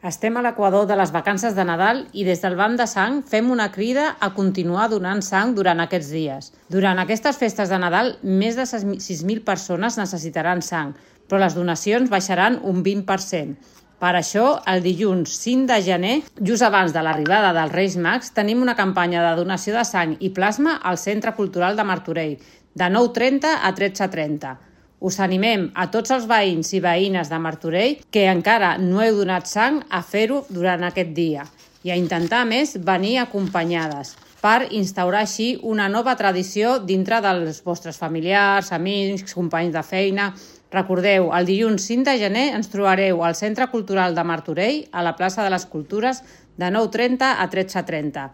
Estem a l'equador de les vacances de Nadal i des del Banc de Sang fem una crida a continuar donant sang durant aquests dies. Durant aquestes festes de Nadal, més de 6.000 persones necessitaran sang, però les donacions baixaran un 20%. Per això, el dilluns 5 de gener, just abans de l'arribada dels Reis Mags, tenim una campanya de donació de sang i plasma al Centre Cultural de Martorell, de 9:30 a 13:30. Us animem a tots els veïns i veïnes de Martorell que encara no heu donat sang a fer-ho durant aquest dia i a intentar, a més, venir acompanyades per instaurar així una nova tradició dintre dels vostres familiars, amics, companys de feina. Recordeu, el dilluns 5 de gener ens trobareu al Centre Cultural de Martorell, a la plaça de les Cultures, de 9:30 a 13:30.